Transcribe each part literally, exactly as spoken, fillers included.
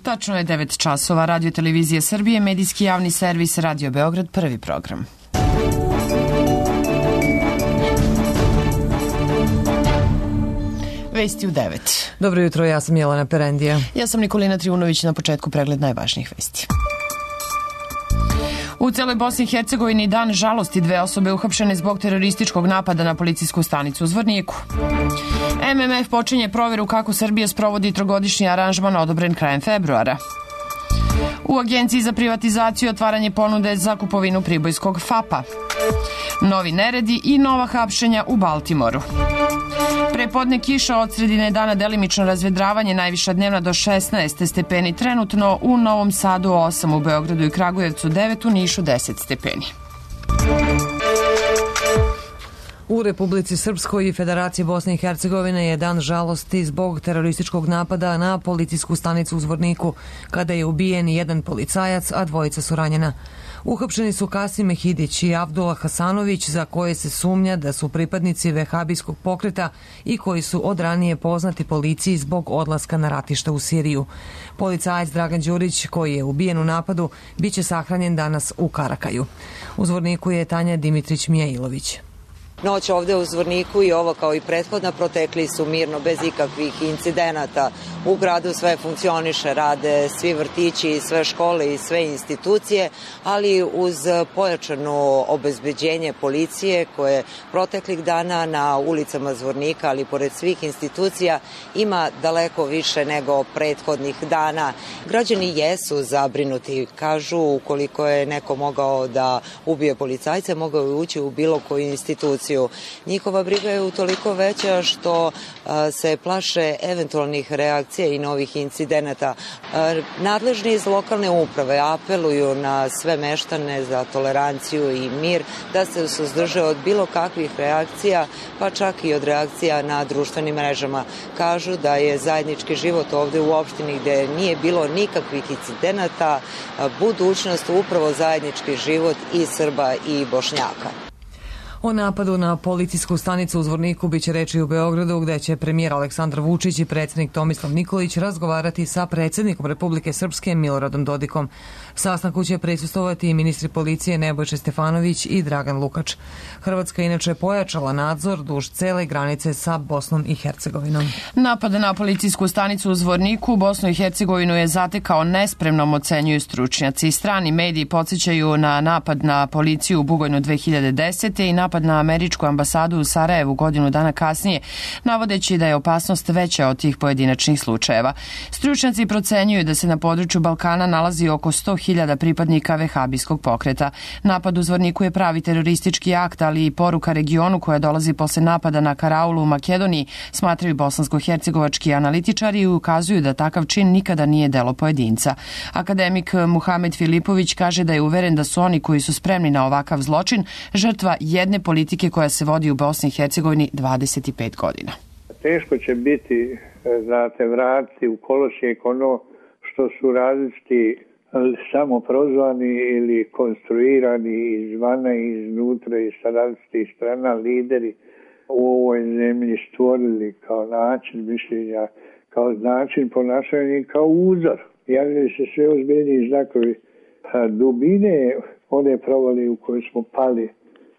Tačno je devet časova. Radio Televizije Srbije, medijski javni servis Radio Beograd, prvi program. Vesti u devet. Dobro jutro, ja sam Jelena Perendija. Ja sam Nikolina Trivunović, na početku pregled najvažnijih vesti. U celoj Bosni i Hercegovini dan žalosti, dve osobe uhapšene zbog terorističkog napada na policijsku stanicu u Zvorniku. M M F počinje proveru kako Srbija sprovodi trogodišnji aranžman odobren krajem februara. U Agenciji za privatizaciju otvaranje ponude za kupovinu pribojskog F A P-a. Novi neredi i nova hapšenja u Baltimoru. Prepodne kiša, od sredine dana delimično razvedravanje, najviša dnevna do šesnaest stepeni trenutno, u Novom Sadu osam, u Beogradu i Kragujevcu devet, u Nišu deset stepeni. U Republici Srpskoj i Federaciji Bosne i Hercegovine je dan žalosti zbog terorističkog napada na policijsku stanicu u Zvorniku, kada je ubijen jedan policajac, a dvojica su ranjena. Uhapšeni su Kasim Mehidić i Abdullah Hasanović, za koje se sumnja da su pripadnici vehabijskog pokreta i koji su od ranije poznati policiji zbog odlaska na ratište u Siriju. Policajac Dragan Đurić, koji je ubijen u napadu, biće sahranjen danas u Karakaju. U Zvorniku je Tanja Dimitrić-Mijailović. Noć ovde u Zvorniku i ovo kao i prethodna protekli su mirno, bez ikakvih incidenata. U gradu sve funkcioniše, rade svi vrtići, sve škole i sve institucije, ali uz pojačano obezbeđenje policije koje proteklih dana na ulicama Zvornika, ali pored svih institucija, ima daleko više nego prethodnih dana. Građani jesu zabrinuti, kažu, ukoliko je neko mogao da ubije policajce, mogao je ući u bilo koju instituciju. Njihova briga je utoliko veća što a, se plaše eventualnih reakcija i novih incidenata. A, nadležni iz lokalne uprave apeluju na sve meštane za toleranciju i mir, da se suzdrže od bilo kakvih reakcija, pa čak i od reakcija na društvenim mrežama. Kažu da je zajednički život ovde u opštini, gde nije bilo nikakvih incidenata, a, budućnost upravo zajednički život i Srba i Bošnjaka. O napadu na policijsku stanicu u Zvorniku biće reči u Beogradu, gde će premijer Aleksandar Vučić i predsjednik Tomislav Nikolić razgovarati sa predsjednikom Republike Srpske Miloradom Dodikom. Sastanku će prisustvovati i ministri policije Nebojša Stefanović i Dragan Lukač. Hrvatska inače pojačala nadzor duž cele granice sa Bosnom i Hercegovinom. Napad na policijsku stanicu u Zvorniku Bosnu i Hercegovinu je zatekao nespremnom, ocenjuju stručnjaci. Strani mediji podsjećaju na napad na policiju u Bugojnu dve hiljade desete i napad na američku ambasadu u Sarajevu godinu dana kasnije, navodeći da je opasnost veća od tih pojedinačnih slučajeva. Stručnjaci procenjuju da se na području Balkana nalazi oko sto hiljada pripadnika vehabijskog pokreta. Napad u Zvorniku je pravi teroristički akt, ali i poruka regionu koja dolazi posle napada na karaulu u Makedoniji, smatraju bosansko-hercegovački analitičari i ukazuju da takav čin nikada nije delo pojedinca. Akademik Muhamed Filipović kaže da je uveren da su oni koji su spremni na ovakav zločin žrtva jedne politike koja se vodi u Bosni i Hercegovini dvadeset pet godina. Teško će biti, znate, vratiti u kolosijek ono što su različiti samo prozvani ili konstruirani izvana i iznutra i sa različitih strana lideri u ovoj zemlji stvorili kao način mišljenja, kao način ponašanja i kao uzor. Javljaju se sve ozbiljniji znakovi dubine one provali u kojoj smo pali,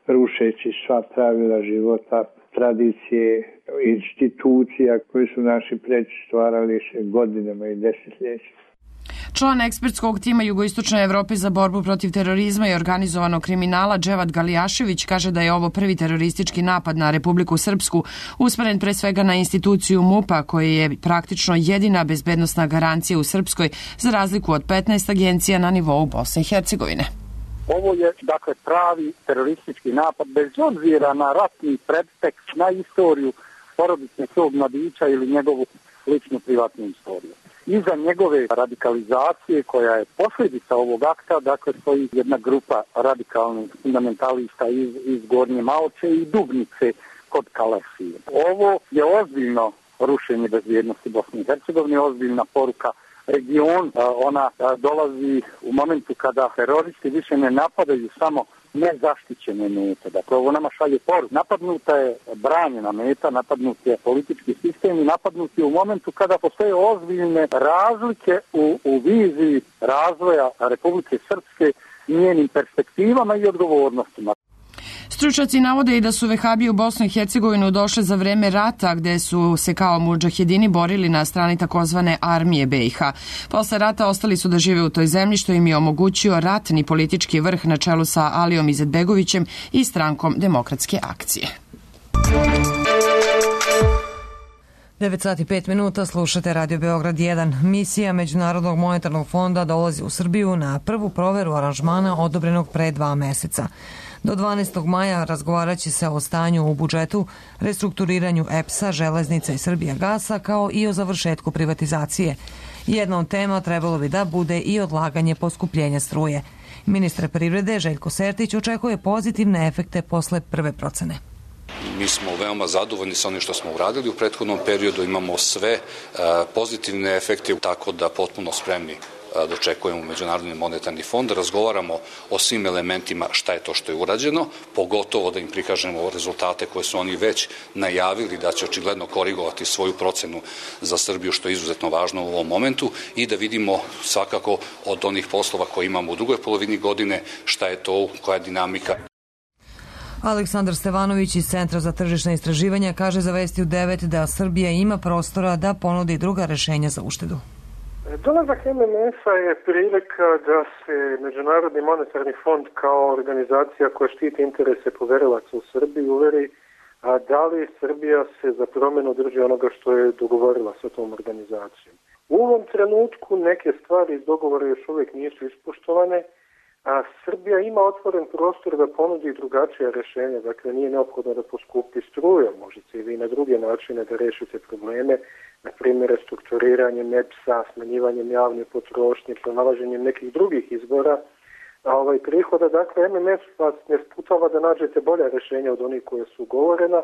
rušeći sva pravila života, tradicije, institucija koje su naši preći stvarali godinama i desetljećima. Član ekspertskog tima Jugoistočne Evrope za borbu protiv terorizma i organizovanog kriminala Dževad Galijašević kaže da je ovo prvi teroristički napad na Republiku Srpsku, usmeren pre svega na instituciju MUP-a, koja je praktično jedina bezbednosna garancija u Srpskoj, za razliku od petnaest agencija na nivou Bosne i Hercegovine. Ovo je, dakle, pravi teroristički napad, bez obzira na ratni predtekst, na istoriju porodice tog mladića ili njegovu ličnu privatnu istoriju. Iza njegove radikalizacije, koja je posljedica ovog akta, dakle, stoji jedna grupa radikalnih fundamentalista iz, iz Gornje Malče i Dubnice kod Kalesije. Ovo je ozbiljno rušenje bezbjednosti Bosne i Hercegovine, ozbiljna poruka region. Ona dolazi u momentu kada teroristi više ne napadaju samo nezaštićene mete. Dakle, ovo nama šalje poruku. Napadnuta je branjena meta, napadnut je politički sistem i napadnut je u momentu kada postoje ozbiljne razlike u, u viziji razvoja Republike Srpske, njenim perspektivama i odgovornostima. Stručnjaci navode i da su vehabije u Bosnu i Hercegovinu došle za vreme rata, gde su se kao mudžahedini borili na strani takozvane armije be i ha. Posle rata ostali su da žive u toj zemlji, što im je omogućio ratni politički vrh na čelu sa Alijom Izetbegovićem i strankom Demokratske akcije. devet sati pet minuta, slušate Radio Beograd jedan. Misija Međunarodnog monetarnog fonda dolazi u Srbiju na prvu proveru aranžmana odobrenog pre dva meseca. Do dvanaestog maja razgovarat će se o stanju u budžetu, restrukturiranju E P S-a, Železnica i Srbijagasa, kao i o završetku privatizacije. Jedna od tema trebalo bi da bude i odlaganje poskupljenja struje. Ministar privrede Željko Sertić očekuje pozitivne efekte posle prve procene. Mi smo veoma zadovoljni sa onim što smo uradili u prethodnom periodu, imamo sve pozitivne efekte, tako da potpuno spremni dočekujemo Međunarodni monetarni fond, razgovaramo o svim elementima šta je to što je urađeno, pogotovo da im prikažemo rezultate koje su oni već najavili da će očigledno korigovati svoju procenu za Srbiju, što je izuzetno važno u ovom momentu, i da vidimo svakako od onih poslova koje imamo u drugoj polovini godine šta je to, koja je dinamika. Aleksandar Stevanović iz Centra za tržišna istraživanja kaže za Vesti u devet da Srbija ima prostora da ponudi druga rešenja za uštedu. Dolazak em em ef-a je prilika da se Međunarodni monetarni fond kao organizacija koja štiti interese poverilaca u Srbiji uveri a da li Srbija se za promjenu drži onoga što je dogovorila sa tom organizacijom. U ovom trenutku neke stvari iz dogovora još uvijek nisu ispoštovane, a Srbija ima otvoren prostor da ponudi drugačija rješenja. Dakle, nije neophodno da poskupi struju, možete i vi na druge načine da rešite probleme, na primjer restrukturiranjem E P S-a, smanjivanjem javne potrošnje, pronalaženjem nekih drugih izbora a ovaj prihoda. Dakle, em em ef vas ne sputava da nađete bolja rješenja od onih koje su ugovorena,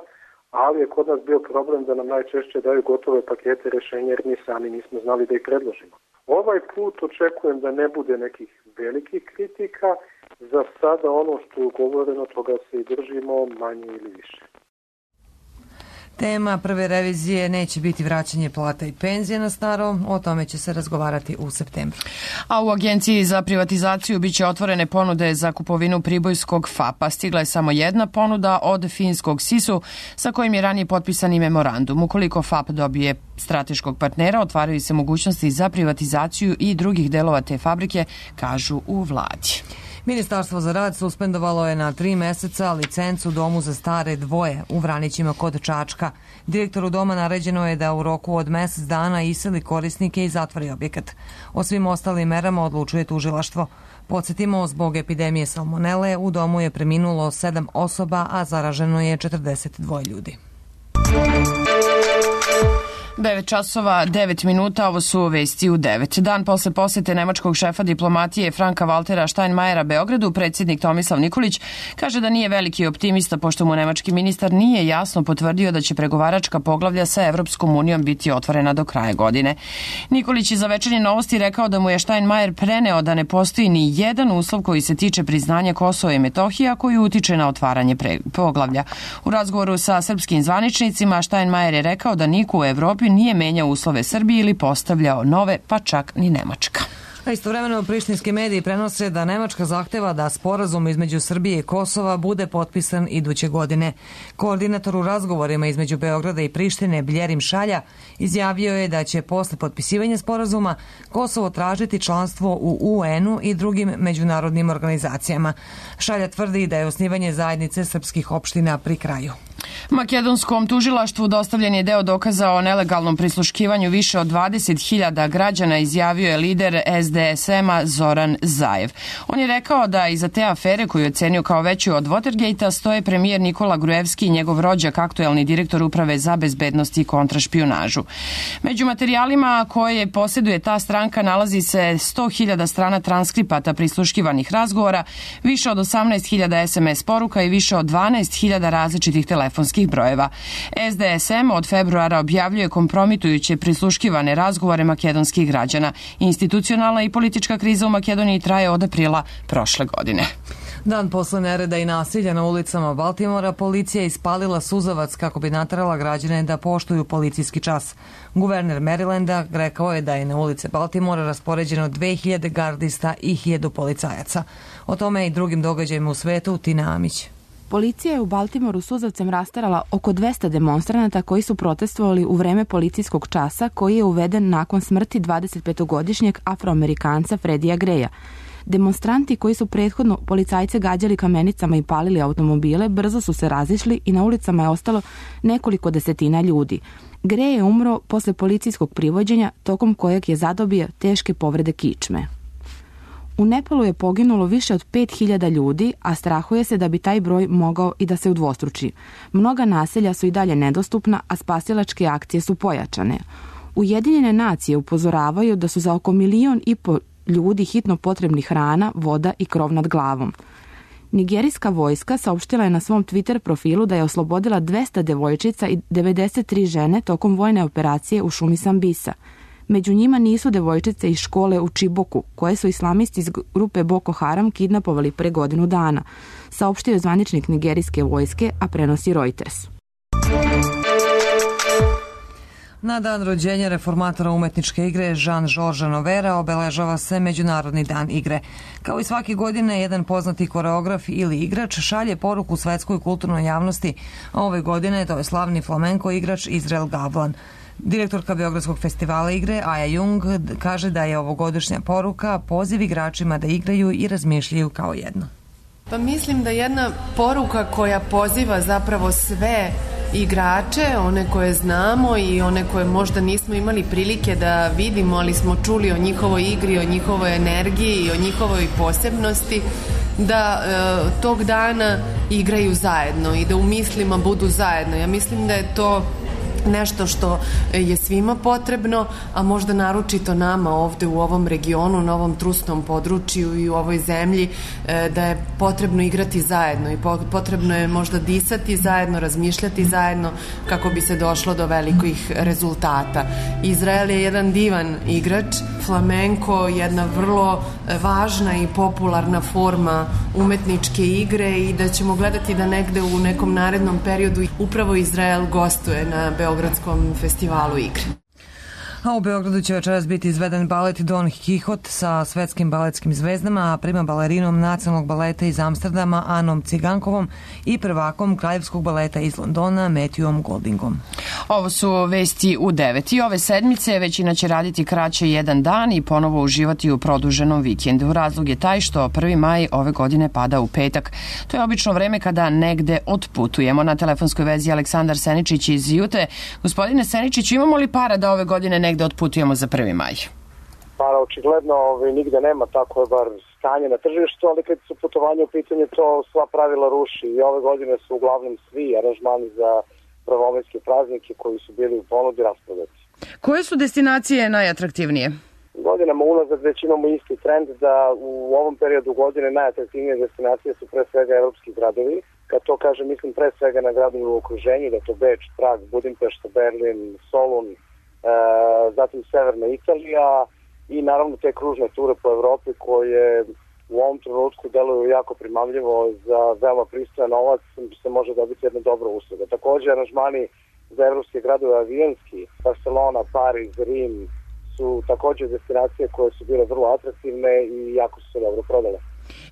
ali je kod nas bio problem da nam najčešće daju gotove pakete rješenja jer mi sami nismo znali da ih predložimo. Ovaj put očekujem da ne bude nekih velikih kritika. Za sada ono što je ugovoreno, toga se i držimo, manje ili više. Tema prve revizije neće biti vraćanje plata i penzije na staro, o tome će se razgovarati u septembru. A u Agenciji za privatizaciju biće otvorene ponude za kupovinu pribojskog F A P-a. Stigla je samo jedna ponuda od finskog sisu sa kojim je ranije potpisani memorandum. Ukoliko F A P dobije strateškog partnera, otvaraju se mogućnosti za privatizaciju i drugih delova te fabrike, kažu u vladi. Ministarstvo za rad suspendovalo je na tri meseca licencu Domu za stare dvoje u Vranićima kod Čačka. Direktoru doma naređeno je da u roku od mesec dana iseli korisnike i zatvori objekat. O svim ostalim merama odlučuje tužilaštvo. Podsjetimo, zbog epidemije salmonele u domu je preminulo sedam osoba, a zaraženo je četrdeset dva ljudi. devet časova, devet minuta, ovo su vesti u devet. Dan posle posete nemačkog šefa diplomatije Franka Valtera Steinmeiera Beogradu, predsjednik Tomislav Nikolić kaže da nije veliki optimista pošto mu nemački ministar nije jasno potvrdio da će pregovaračka poglavlja sa Evropskom unijom biti otvorena do kraja godine. Nikolić je za Večernje novosti rekao da mu je Steinmeier preneo da ne postoji ni jedan uslov koji se tiče priznanja Kosova i Metohije, a koji utiče na otvaranje poglavlja. U razgovoru sa srpskim zvaničnicima Steinmeier je rekao da niko u Evropi nije menjao uslove Srbije ili postavljao nove, pa čak ni Nemačka. A istovremeno prištinski mediji prenose da Nemačka zahteva da sporazum između Srbije i Kosova bude potpisan iduće godine. Koordinator u razgovorima između Beograda i Prištine Bljerim Šalja izjavio je da će posle potpisivanja sporazuma Kosovo tražiti članstvo u U N-u i drugim međunarodnim organizacijama. Šalja tvrdi da je osnivanje zajednice srpskih opština pri kraju. Makedonskom tužilaštvu dostavljen je deo dokaza o nelegalnom prisluškivanju više od dvadeset hiljada građana, izjavio je lider S D S M-a Zoran Zaev. On je rekao da iza te afere, koju je ocenio kao veću od Watergate-a, stoje premijer Nikola Gruevski i njegov rođak, aktuelni direktor Uprave za bezbednost i kontrašpionažu. Među materijalima koje posjeduje ta stranka nalazi se sto hiljada strana transkripata prisluškivanih razgovora, više od osamnaest hiljada S M S poruka i više od dvanaest hiljada različitih telefonskih brojeva. S D S M od februara objavljuje kompromitujuće prisluškivane razgovore makedonskih građana. Institucionalna i politička kriza u Makedoniji traje od aprila prošle godine. Dan posle nereda i nasilja na ulicama Baltimora, policija je ispalila suzavac kako bi naterala građane da poštuju policijski čas. Guverner Marylanda rekao je da je na ulice Baltimora raspoređeno dve hiljade gardista i hiljadu policajaca. O tome i drugim događajima u svetu Tina Amić. Policija je u Baltimoru suzavcem rasterala oko dvesta demonstranata koji su protestovali u vreme policijskog časa koji je uveden nakon smrti dvadesetpetogodišnjeg afroamerikanca Freddija Greya. Demonstranti koji su prethodno policajce gađali kamenicama i palili automobile brzo su se razišli i na ulicama je ostalo nekoliko desetina ljudi. Gray je umro posle policijskog privođenja tokom kojeg je zadobio teške povrede kičme. U Nepalu je poginulo više od pet hiljada ljudi, a strahuje se da bi taj broj mogao i da se udvostruči. Mnoga naselja su i dalje nedostupna, a spasilačke akcije su pojačane. Ujedinjene nacije upozoravaju da su za oko milion i po ljudi hitno potrebni hrana, voda i krov nad glavom. Nigerijska vojska saopštila je na svom Twitter profilu da je oslobodila dvesta devojčica i devedeset tri žene tokom vojne operacije u šumi Sambisa. Među njima nisu devojčice iz škole u Čiboku, koje su islamisti iz grupe Boko Haram kidnapovali pre godinu dana, saopštio je zvaničnik nigerijske vojske, a prenosi Reuters. Na dan rođenja reformatora umetničke igre Jean-Georges Novera obeležava se Međunarodni dan igre. Kao i svake godine, jedan poznati koreograf ili igrač šalje poruku svetskoj kulturnoj javnosti, a ove godine to je slavni flamenko igrač Izrael Gavlan. Direktorka Beogradskog festivala igre Aja Jung kaže da je ovogodišnja poruka poziv igračima da igraju i razmišljaju kao jedno. Pa mislim da jedna poruka koja poziva zapravo sve igrače, one koje znamo i one koje možda nismo imali prilike da vidimo, ali smo čuli o njihovoj igri, o njihovoj energiji i o njihovoj posebnosti, da e, tog dana igraju zajedno i da u mislima budu zajedno. Ja mislim da je to nešto što je svima potrebno, a možda naročito nama ovde u ovom regionu, na ovom trusnom području i u ovoj zemlji, da je potrebno igrati zajedno i potrebno je možda disati zajedno, razmišljati zajedno kako bi se došlo do velikih rezultata. Izrael je jedan divan igrač, flamenko jedna vrlo važna i popularna forma umetničke igre i da ćemo gledati da negde u nekom narednom periodu upravo Izrael gostuje na Beogradskom festivalu igre. A u Beogradu će večeras biti izveden balet Don Quixote sa svetskim baletskim zvezdama, a prima balerinom nacionalnog baleta iz Amsterdama Anom Cigankovom i prvakom kraljevskog baleta iz Londona Matthewom Goldingom. Ovo su vesti u devet i ove sedmice većina će raditi kraće jedan dan i ponovo uživati u produženom vikendu. Razlog je taj što prvi maj ove godine pada u petak. To je obično vreme kada negde otputujemo. Na telefonskoj vezi Aleksandar Seničić iz Jute. Gospodine Seničić, imamo li para da ove godine negde da otputujemo za prvi maj? Pa očigledno ovaj, nigde nema, tako je bar stanje na tržištu, ali kad su putovanje u pitanju to sva pravila ruši i ove godine su uglavnom svi aranžmani za prvomajske praznike koji su bili u ponudi rasprodati. Koje su destinacije najatraktivnije? Godinama unazad već imamo isti trend da u ovom periodu godine najatraktivnije destinacije su pre svega evropski gradovi. Kad to kažem, mislim pre svega na gradove u okruženju, da to Beč, Prag, Budimpešta, Berlin, Solun, E, zatim Severna Italija i naravno te kružne ture po Evropi koje u ovom trenutku deluju jako primamljivo za veoma pristojan novac, se može dobiti jedna dobra usluga. Također aranžmani za evropske gradove avionski, Barcelona, Pariz, Rim su također destinacije koje su bile vrlo atraktivne i jako su se dobro prodale.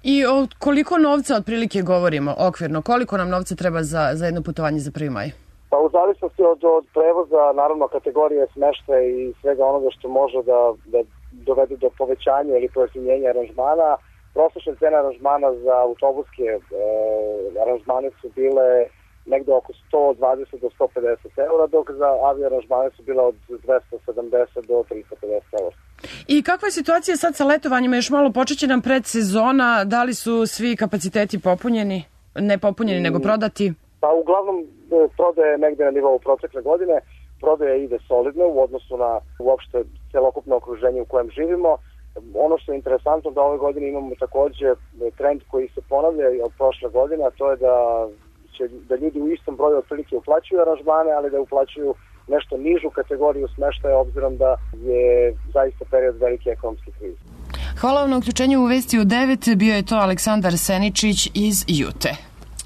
I o koliko novca otprilike govorimo okvirno? Koliko nam novca treba za, za jedno putovanje za prvi maj? Pa u zavisnosti od, od prevoza, naravno kategorije smeštaja i svega onoga što može da, da dovede do povećanja ili pojeftinjenja aranžmana, prosječna cena aranžmana za autobuske e, aranžmane su bile negde oko sto dvadeset do sto pedeset eura, dok za avio aranžmane su bile od dvesta sedamdeset do tristo pedeset eura. I kakva je situacija sad sa letovanjima? Još malo počeće nam predsezona, da li su svi kapaciteti popunjeni? Ne popunjeni, mm. nego prodati? Pa uglavnom prodaje negde na nivou protekle godine, prodaja ide solidno u odnosu na uopšte celokupno okruženje u kojem živimo. Ono što je interesantno da ove godine imamo takođe trend koji se ponavlja od prošle godine, a to je da će da ljudi u istom broju otprilike uplaćuju aranžmane, ali da uplaćuju nešto nižu kategoriju smeštaja obzirom da je zaista period velike ekonomske krize. Hvala vam na uključenju u Vesti u devet. Bio je to Aleksandar Seničić iz Jute.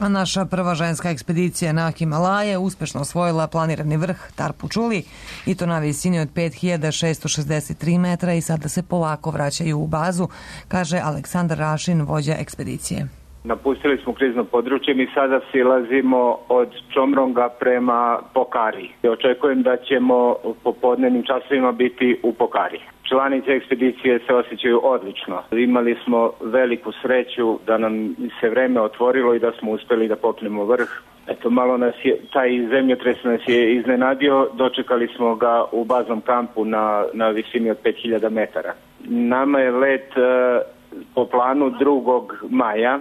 A naša prva ženska ekspedicija na Himalaje uspešno osvojila planirani vrh Tarpu Čuli i to na visini od pet hiljada šesto šezdeset tri metra i sada se polako vraćaju u bazu, kaže Aleksandar Rašin, vođa ekspedicije. Napustili smo krizno područje, mi sada silazimo od Čomronga prema Pokari. Očekujem da ćemo u popodnevnim časovima biti u Pokari. Članice ekspedicije se osjećaju odlično. Imali smo veliku sreću da nam se vreme otvorilo i da smo uspeli da popnemo vrh. Eto, malo nas je, taj zemljotres nas je iznenadio, dočekali smo ga u baznom kampu na, na visini od pet hiljada metara. Nama je let e, po planu drugog maja.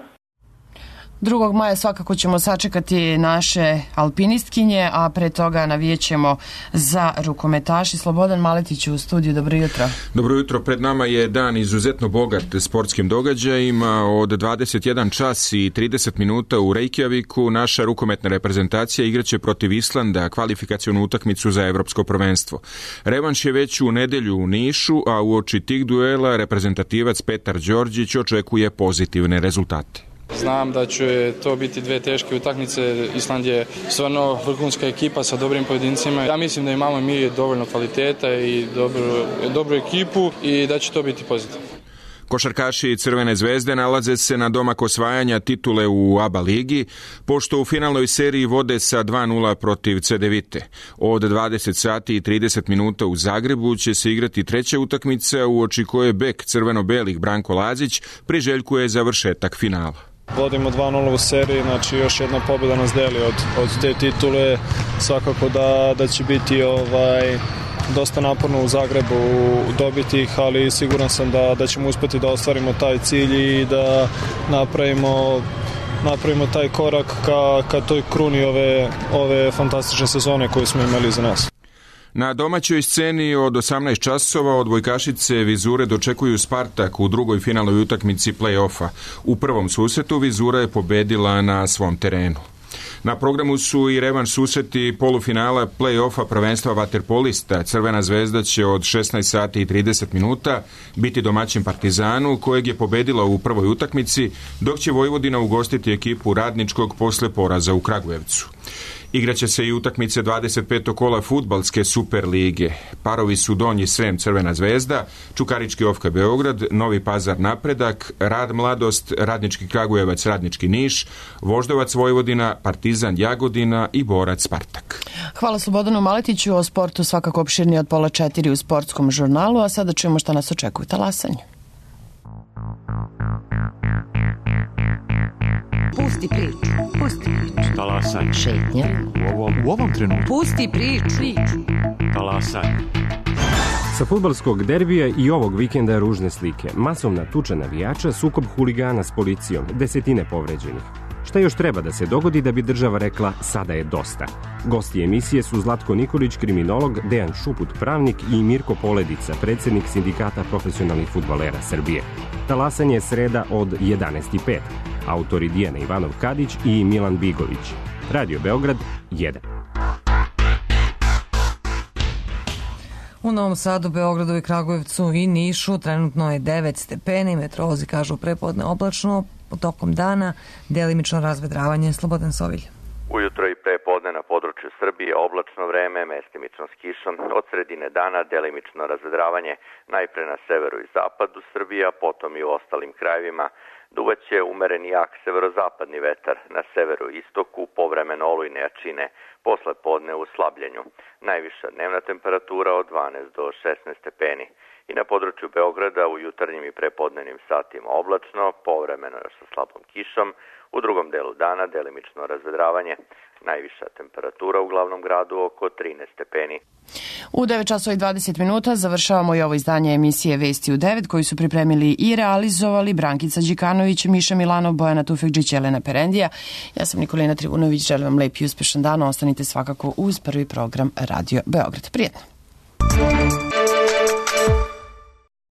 drugog maja svakako ćemo sačekati naše alpinistkinje, a pre toga navijećemo za rukometaši. Slobodan Maletić u studiju, dobro jutro. Dobro jutro, pred nama je dan izuzetno bogat sportskim događajima. Od dvadeset jedan čas i trideset minuta u Reykjaviku naša rukometna reprezentacija igraće protiv Islanda kvalifikacionu utakmicu za evropsko prvenstvo. Revanš je već u nedelju u Nišu, a uoči tih duela reprezentativac Petar Đorđić očekuje pozitivne rezultate. Znam da će to biti dve teške utakmice. Island je stvarno vrhunska ekipa sa dobrim pojedincima. Ja mislim da imamo mi dovoljno kvaliteta i dobru, dobru ekipu i da će to biti pozitivno. Košarkaši Crvene zvezde nalaze se na domak osvajanja titule u A B A ligi, pošto u finalnoj seriji vode sa dva nula protiv Cedevite. Od dvadeset sati i trideset minuta u Zagrebu će se igrati treća utakmica, uoči koje bek crveno-belih Branko Lazić priželjkuje završetak finala. Vodimo dva nula u seriji, znači još jedna pobjeda nas deli od, od te titule. Svakako da, da će biti ovaj, dosta naporno u Zagrebu dobiti ih, ali siguran sam da, da ćemo uspjeti da ostvarimo taj cilj i da napravimo, napravimo taj korak ka, ka toj kruni ove, ove fantastične sezone koju smo imali za nas. Na domaćoj sceni od osamnaest časova odbojkašice Vizure dočekuju Spartak u drugoj finalnoj utakmici play-offa. U prvom susretu Vizura je pobedila na svom terenu. Na programu su i revanš susreti polufinala play-offa prvenstva vaterpolista. Crvena zvezda će od šesnaest sati i trideset minuta biti domaćin Partizanu, kojeg je pobedila u prvoj utakmici, dok će Vojvodina ugostiti ekipu Radničkog posle poraza u Kragujevcu. Igraće se i utakmice dvadeset petog kola fudbalske Super lige. Parovi su Donji Srem Crvena zvezda, Čukarički Ofka Beograd, Novi Pazar Napredak, Rad Mladost, Radnički Kragujevac Radnički Niš, Voždovac Vojvodina, Partizan Jagodina i Borac Spartak. Hvala Slobodanu Maletiću. O sportu svakako opširnije od pola četiri u sportskom žurnalu, a sada čujemo šta nas očekuje talasanju. Pusti priču. Pusti priču. Talasanje. Šetnja. U ovom, u ovom trenutku. Pusti priču. priču. Talasanje. Sa fudbalskog derbija i ovog vikenda ružne slike. Masovna tuča navijača, sukob huligana s policijom, desetine povređenih. Šta još treba da se dogodi da bi država rekla sada je dosta? Gosti emisije su Zlatko Nikolić, kriminolog, Dejan Šuput, pravnik i Mirko Poledica, predsjednik Sindikata profesionalnih fudbalera Srbije. Talasanje je sreda od jedanaest i pet. Autori Dijana Ivanov Kadić i Milan Bigović. Radio Beograd jedan. U Novom Sadu, Beogradu i Kragujevcu i Nišu trenutno je devet stepeni, meteorolozi kažu prepodne oblačno, tokom dana delimično razvedravanje. Slobodan Sovilj. Ujutro i prepodne na području Srbije oblačno vreme, mestimično s kišom, od sredine dana delimično razvedravanje, najpre na severu i zapadu Srbije, a potom i u ostalim krajevima. Duvaće umeren jak severozapadni vetar, na severu i istoku povremeno olujne jačine, posle podne u slabljenju. Najviša dnevna temperatura od dvanaest do šesnaest stepeni. I na području Beograda u jutarnjim i prepodnevnim satima oblačno, povremeno još sa slabom kišom, u drugom delu dana delimično razvedravanje. Najviša temperatura u glavnom gradu oko trinaest stepeni. U devet časova i dvadeset minuta završavamo i ovo izdanje emisije Vesti u devet, koji su pripremili i realizovali Brankica Đikanović, Miša Milanov, Bojana Tufekđić, Jelena Perendija. Ja sam Nikolina Trivunović, želim vam lep i uspešan dan. Ostanite svakako uz prvi program Radio Beograd. Prijetno.